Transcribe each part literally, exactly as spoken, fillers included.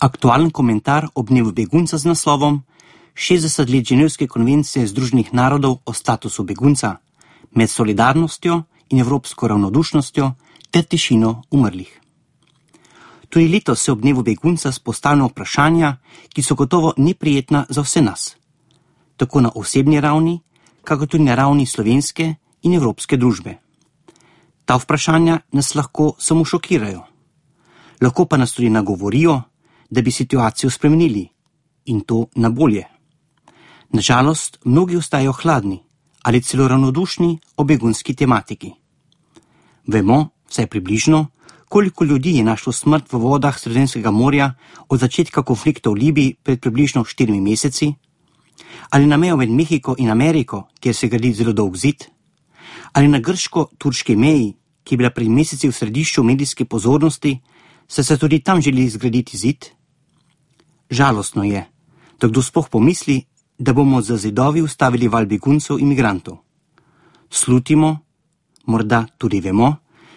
Aktualen komentar ob dnevu begunca z naslovom šestdeset let Ženevske konvencije Združenih narodov o statusu begunca med solidarnostjo in evropsko ravnodušnostjo ter tišino umrlih. Tudi letos se ob dnevu begunca spostavljamo vprašanja, ki so gotovo neprijetna za vse nas, tako na osebni ravni, kako tudi na ravni slovenske in evropske družbe. Ta vprašanja nas lahko samo šokirajo, lahko pa nas tudi nagovorijo, da bi situacijo spremenili in to na bolje. Nažalost, mnogi ostajajo hladni ali celo ravnodušni o begunski tematiki. Vemo, vsaj približno, koliko ljudi je našlo smrt v vodah Sredozemskega morja od začetka konflikta v Libiji pred približno štirimi meseci, ali na mejo med Mehiko in Ameriko, kjer se gradi zelo dolg zid, ali na grško-turški meji, ki je bila pred meseci v središču medijske pozornosti, saj se tudi tam želi zgraditi zid. Žalostno je, da kdo sploh pomisli, da bomo za zidovi ustavili val beguncev in migrantov. Slutimo, morda tudi vemo,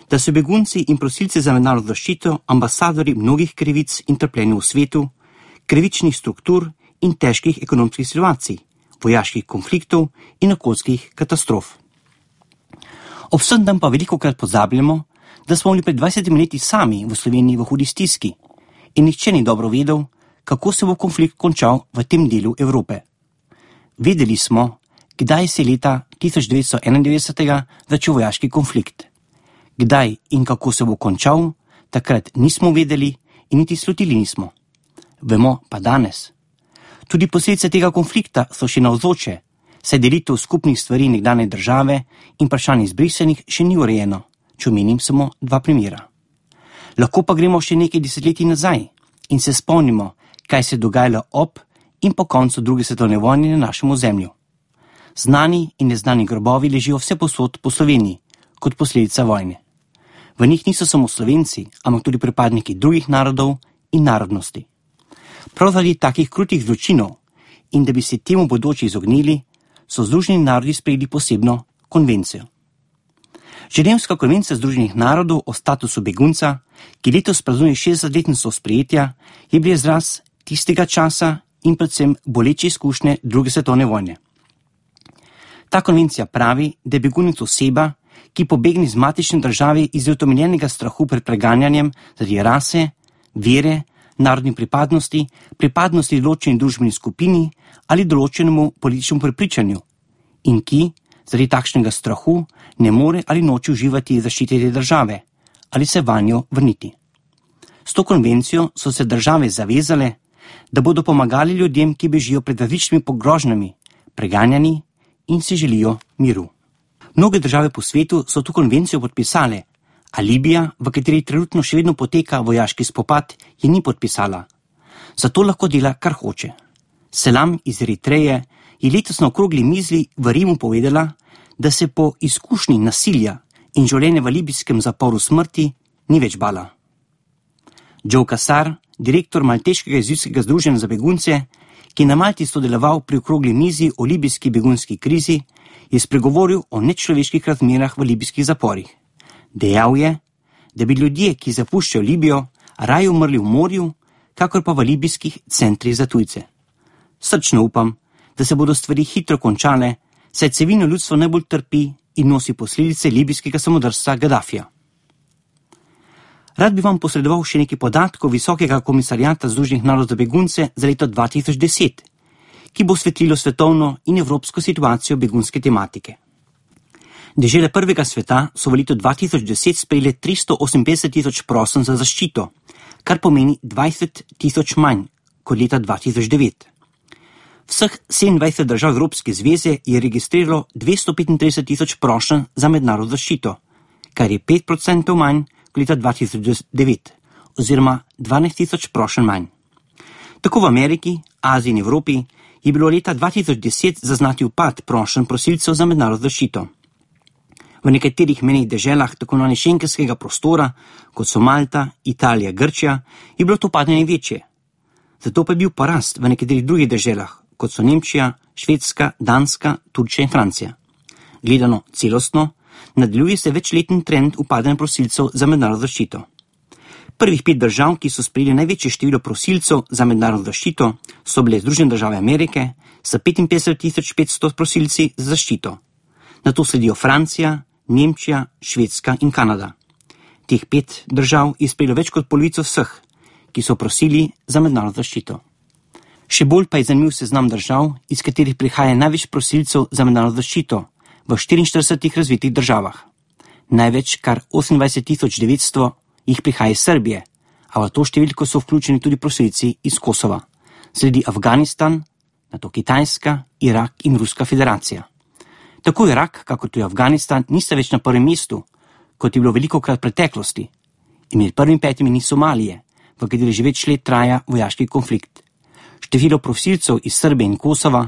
da so begunci in prosilci za mednarodno zaščito ambasadori mnogih krivic in trpljenja v svetu, krivičnih struktur in težkih ekonomskih situacij, vojaških konfliktov in okoljskih katastrof. Ob vsem tem pa velikokrat pozabljamo, da smo bili pred dvajsetimi leti sami v Sloveniji v hudi stiski in nihče ni dobro vedel, kako se bo konflikt končal v tem delu Evrope. Vedeli smo, kdaj se je leta tisoč devetsto enaindevetdeset začel vojaški konflikt. Kdaj in kako se bo končal, takrat nismo vedeli in niti slutili nismo. Vemo pa danes. Tudi posledice tega konflikta so še navzoče, saj delitev skupnih stvari nekdanje države in vprašanje izbrisanih še ni urejeno, če omenim samo dva primera. Lahko pa gremo še nekaj desetletij nazaj in se spomnimo, kaj se je dogajalo ob in po koncu druge svetovne vojne na našem ozemlju. Znani in neznani grobovi ležijo vse posod po Sloveniji, kot posledica vojne. V njih niso samo Slovenci, ampak tudi pripadniki drugih narodov in narodnosti. Prav zaradi takih krutih zločinov in da bi se temu bodoče izognili, so Združeni narodi sprejeli posebno konvencijo. Ženevska konvencija Združenih narodov o statusu begunca, ki letos praznuje šestdesetletnico sprejetja, je bil izraz tistega časa in predvsem boleče izkušnje druge svetovne vojne. Ta konvencija pravi, da je begunec oseba, ki pobegne iz matične države iz utemeljenega strahu pred preganjanjem zaradi rase, vere, narodni pripadnosti, pripadnosti določeni družbeni skupini ali določenemu političnemu prepričanju in ki zaradi takšnega strahu ne more ali noče uživati zaščite te države ali se vanjo vrniti. S to konvencijo so se države zavezale, da bodo pomagali ljudem, ki bežijo pred različnimi pogrožnjami, preganjani in si želijo miru. Mnoge države po svetu so to konvencijo podpisale, a Libija, v kateri trenutno še vedno poteka vojaški spopad, je ni podpisala. Zato lahko dela, kar hoče. Selam iz Eritreje je letos na okrogli mizi v Rimu povedala, da se po izkušnji nasilja in življenja v libijskem zaporu smrti ni več bala. Joe Kasar, direktor Malteškega jezuitskega združenja za begunce, ki je na Malti sodeloval pri okrogli mizi o libijski begunski krizi, je spregovoril o nečloveških razmerah v libijskih zaporih. Dejal je, da bi ljudje, ki zapuščajo Libijo, raje umrli v morju, kakor pa v libijskih centrih za tujce. Srčno upam, da se bodo stvari hitro končale, saj civilno ljudstvo najbolj trpi in nosi posledice libijskega samodrstva Gaddafija. Rad bi vam posredoval še nekaj podatkov Visokega komisarjata Združenih narodov za begunce za leto dva tisoč deset, ki bo osvetlilo svetovno in evropsko situacijo begunske tematike. Dežele prvega sveta so v letu dva tisoč deset sprejele tristo oseminpetdeset tisoč prošenj za zaščito, kar pomeni dvajset tisoč manj kot leta dva tisoč devet. Vseh sedemindvajset držav Evropske zveze je registriralo dvesto petintrideset tisoč prošenj za mednarodno zaščito, kar je pet procentov manj kot leta dva tisoč devet, oziroma dvanajst tisoč prošenj manj. Tako v Ameriki, Aziji in Evropi je bilo leta dva tisoč deset zaznati upad prošenj prosilcev za mednarodno zaščito. V nekaterih menih deželah tako imenovanega šengenskega prostora, kot so Malta, Italija, Grčija, je bilo to padanje večje. Zato pa je bil porast v nekaterih drugih deželah, kot so Nemčija, Švedska, Danska, Turčija in Francija. Gledano celostno, nadaljuje se večletni trend upadanja prosilcev za mednarodno zaščito. Prvih pet držav, ki so sprejeli največje število prosilcev za mednarodno zaščito, so bile Združene države Amerike s petinpetdeset tisoč petsto prosilci za zaščito. Nato sledijo Francija, Nemčija, Švedska in Kanada. Teh pet držav je sprejelo več kot polovico vseh, ki so prosili za mednarodno zaščito. Še bolj pa je zanimiv seznam držav, iz katerih prihaja največ prosilcev za mednarodno zaščito v štiriinštiridesetih razvitih državah. Največ, kar osemindvajset tisoč devetsto, jih prihaja iz Srbije, a v to številko so vključeni tudi prosilci iz Kosova. Sledi Afganistan, nato Kitajska, Irak in Ruska federacija. Tako Irak, kakor tudi Afganistan, nista več na prvem mestu, kot je bilo velikokrat v preteklosti. In med prvimi petimi ni Somalije, v kateri že več let traja vojaški konflikt. Število prosilcev iz Srbije in Kosova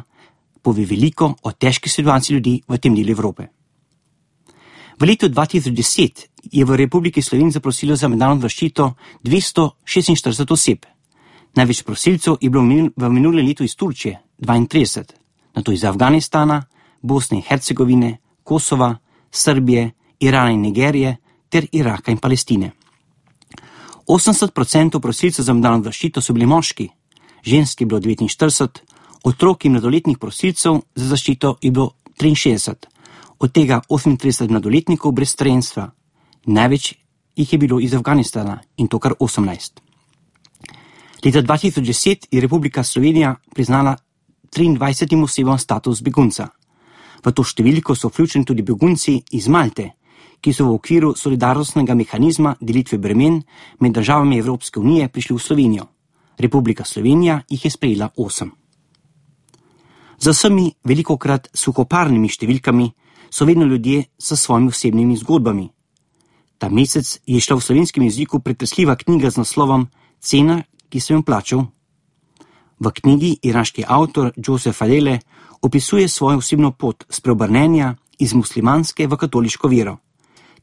pove veliko o težki situaciji ljudi v tem delu Evrope. V letu dva tisoč deset je v Republiki Sloveniji zaprosilo za mednarodno zaščito dvesto šestinštirideset oseb. Največ prosilcev je bilo v minulem letu iz Turčije, dvaintrideset, nato iz Afganistana, Bosne in Hercegovine, Kosova, Srbije, Irana in Nigerije ter Iraka in Palestine. osemdeset odstotkov prosilcev za mednarodno zaščito so bili moški, žensk je bilo devetinštirideset, otrok in mladoletnih prosilcev za zaščito je bilo triinšestdeset, od tega osemintrideset mladoletnikov brez spremstva. Največ jih je bilo iz Afganistana in to kar osemnajst. Leta dva tisoč deset je Republika Slovenija priznala triindvajsetim osebam status begunca. V to številko so vključeni tudi begunci iz Malte, ki so v okviru solidarnostnega mehanizma delitve bremen med državami Evropske unije prišli v Slovenijo. Republika Slovenija jih je sprejela osem. Za vsemi velikokrat suhoparnimi številkami so vedno ljudje s svojimi osebnimi zgodbami. Ta mesec je šla v slovenskem jeziku pretresljiva knjiga z naslovom Cena, ki sem jo plačal. V knjigi iraški avtor Joseph Adele opisuje svojo osebno pot spreobrnenja iz muslimanske v katoliško vero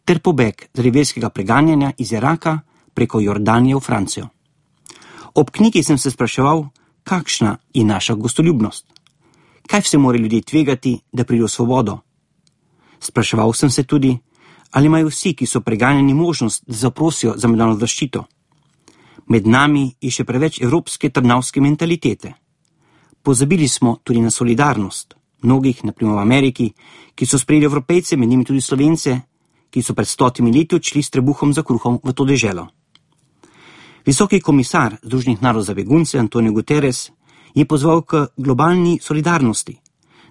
ter pobeg zaradi verskega preganjanja iz Iraka preko Jordanije v Francijo. Ob knjigi sem se spraševal, kakšna je naša gostoljubnost. Kaj vse morajo ljudje tvegati, da pridejo v svobodo? Spraševal sem se tudi, ali imajo vsi, ki so preganjeni, možnost, da zaprosijo za mednarodno zaščito. Med nami je še preveč evropske trnavske mentalitete. Pozabili smo tudi na solidarnost mnogih, na primer v Ameriki, ki so sprejeli Evropejce, med njimi tudi Slovence, ki so pred stotimi leti odšli s trebuhom za kruhom v to deželo. Visoki komisar Združenih narodov za begunce Antonio Guterres je pozval k globalni solidarnosti,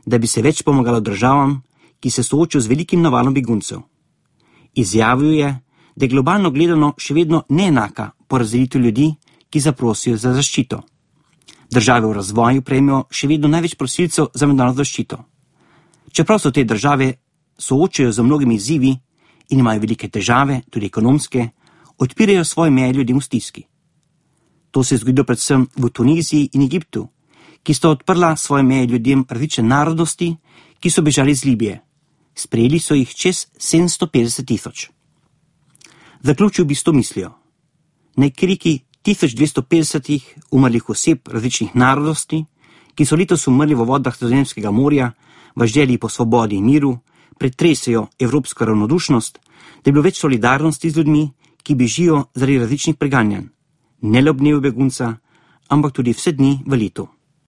da bi se več pomagalo državam, ki se soočajo z velikim navalom beguncev. Izjavil je, da je globalno gledano še vedno neenaka porazdelitev ljudi, ki zaprosijo za zaščito. Države v razvoju prejmejo še vedno največ prosilcev za mednarodno zaščito. Čeprav so te države soočajo z mnogimi izzivi in imajo velike težave, tudi ekonomske, odpirajo svoje meje ljudem v stiski. To se je zgodilo predvsem v Tuniziji in Egiptu, ki sta odprla svoje meje ljudem različne narodnosti, ki so bežali iz Libije. Sprejeli so jih čez sedemsto petdeset tisoč. Zaključil bi s to mislijo. Naj kriki tisoč dvesto petdesetih umrlih oseb različnih narodnosti, ki so letos umrli v vodah Sredozemskega morja, v želji po svobodi in miru, pretresejo evropsko ravnodušnost, da je bilo več solidarnosti z ljudmi, ki bežijo zaradi različnih preganjanj. Ne le ob dnevu begunca, ampak tudi vse dni v letu.